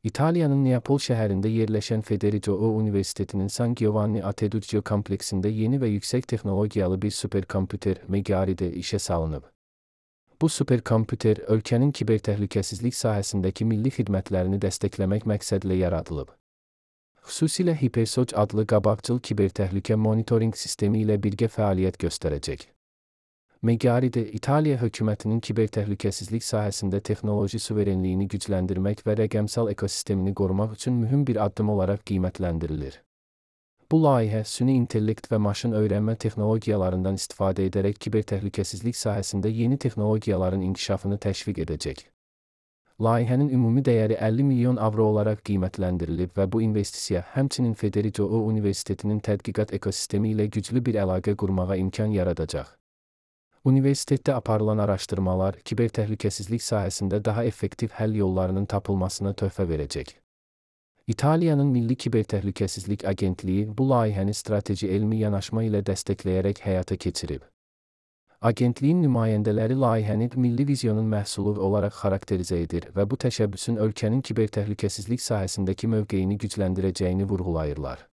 İtalya'nın Neapol şəhərində yerləşən Federico Universitetinin San Giovanni Ateduccio kompleksində yeni və yüksək texnologiyalı bir superkompüter Megari'de işə salınıb. Bu superkompüter ölkənin kibertəhlükəsizlik sahəsindəki milli xidmətlərini dəstəkləmək məqsədlə yaradılıb. Xüsusilə HiperSOC adlı qabaqcıl kibertəhlükə monitoring sistemi ilə birgə fəaliyyət göstərəcək. Megari'de, İtaliya hökumətinin kibertəhlükəsizlik sahəsində texnoloji suverenliyini gücləndirmək və rəqəmsal ekosistemini qorumaq üçün mühüm bir addım olaraq qiymətləndirilir. Bu layihə, süni intellekt və maşın öyrənmə texnologiyalarından istifadə edərək kibertəhlükəsizlik sahəsində yeni texnologiyaların inkişafını təşviq edəcək. Layihənin ümumi dəyəri 50 milyon avro olaraq qiymətləndirilib və bu investisiya həmçinin Federico Universitetinin tədqiqat ekosistemi ilə güclü bir əlaqə qurmağa imkan yaradacaq. Universitetdə aparılan araşdırmalar, kibertəhlükəsizlik sahəsində daha effektiv həll yollarının tapılmasına töhfə verəcək. İtaliyanın Milli Kibertəhlükəsizlik Agentliyi bu layihəni strateji elmi yanaşma ilə dəstəkləyərək həyata keçirib. Agentliyin nümayəndələri layihəni milli vizyonun məhsulu olaraq xarakterizə edir və bu təşəbbüsün ölkənin kibertəhlükəsizlik sahəsindəki mövqeyini gücləndirəcəyini vurğulayırlar.